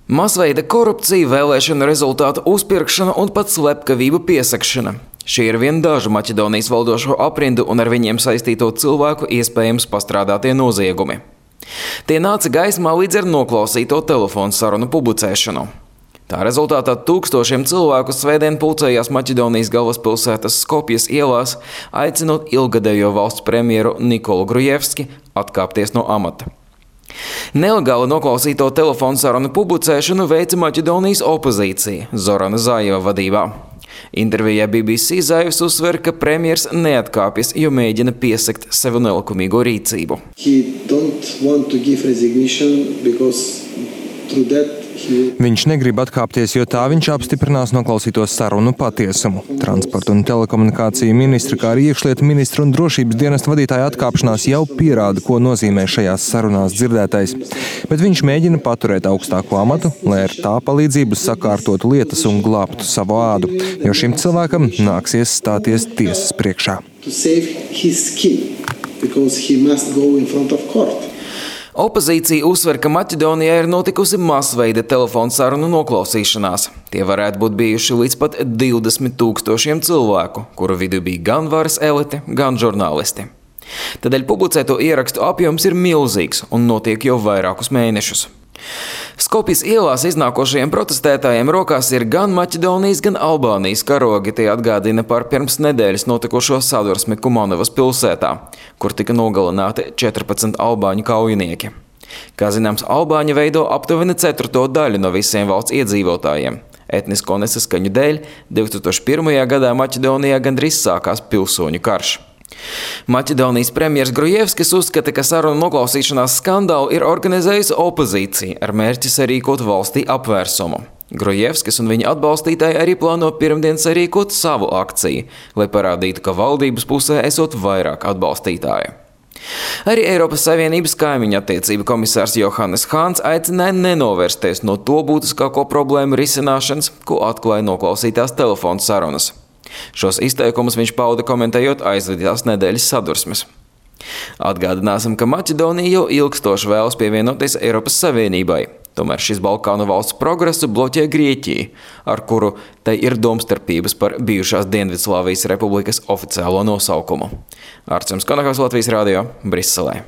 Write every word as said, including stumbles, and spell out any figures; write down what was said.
Masveida korupcija, vēlēšanu rezultātu uzpirkšana un pat slepkavību piesakšana. Šie ir vien daži Maķedonijas valdošo aprindu un ar viņiem saistīto cilvēku iespējams pastrādātie noziegumi. Tie nāca gaismā līdz ar noklausīto telefonu sarunu publicēšanu. Tā rezultātā tūkstošiem cilvēku svētdien pulcējās Maķedonijas galvaspilsētas Skopjas ielās, aicinot ilgadējo valsts premjeru Nikolu Grujevski atkāpties no amata. Nelegāli noklausīto telefonu sarunu publicēšanu veica Maķedonijas opozīcija Zorana Zājeva vadībā. Intervijā B B C Zājevs uzsver, ka premjers neatkāpjas, jo mēģina piesakt sev nelikumīgo rīcību. Viņš negrib atkāpties, jo tā viņš apstiprinās noklausīto sarunu patiesumu. Transporta un telekomunikāciju ministra, kā arī iekšlietu ministra un drošības dienesta vadītāja atkāpšanās jau pierāda, ko nozīmē šajās sarunās dzirdētais. Bet viņš mēģina paturēt augstāko amatu, lai ar tā palīdzību sakārtotu lietas un glābtu savu ādu, jo šim cilvēkam nāksies stāties tiesas priekšā. Opozīcija uzsver, ka Maķedonijā ir notikusi masveida telefonu sarunu noklausīšanās. Tie varētu būt bijuši līdz pat divdesmit tūkstošiem cilvēku, kuru vidū bija gan varas elite, gan žurnālisti. Tādēļ publicēto ierakstu apjoms ir milzīgs un notiek jau vairākus mēnešus. Skopjas ielās iznākošajiem protestētājiem rokās ir gan Maķedonijas, gan Albānijas karogi. Tie atgādina par pirms nedēļas notikušo sadursmi Kumanovas pilsētā, kur tika nogalināti četrpadsmit albāņu kaujinieki. Kā zināms, albāņi veido aptuveni ceturto daļu no visiem valsts iedzīvotājiem. Etnisko nesaskaņu dēļ divi tūkstoši pirmajā gadā Maķedonijā gandrīz sākās pilsoņu karš. Maķedonijas premjers Grujevskis uzskata, ka sarunu noklausīšanās skandālu ir organizējusi opozīcija ar mērķi sarīkot valstī apvērsumu. Grujevskis un viņa atbalstītāji arī plāno pirmdien sarīkot savu akciju, lai parādītu, ka valdības pusē esot vairāk atbalstītāju. Arī Eiropas Savienības kaimiņu attiecību komisārs Johannes Hāns aicināja nenovērsties no to būtiskāko problēmu risināšanas, ko atklāja noklausītās telefonu sarunas. Šos izteikumus viņš pauda komentējot aizvadītās nedēļas sadursmes. Atgādināsim, ka Maķedonija jau ilgstoši vēlas pievienoties Eiropas Savienībai. Tomēr šis Balkānu valsts progresu bloķē Grieķija, ar kuru tai ir domstarpības par bijušās Dienvidslāvijas republikas oficiālo nosaukumu. Arčuns Konakovs, Latvijas radio, Briselē.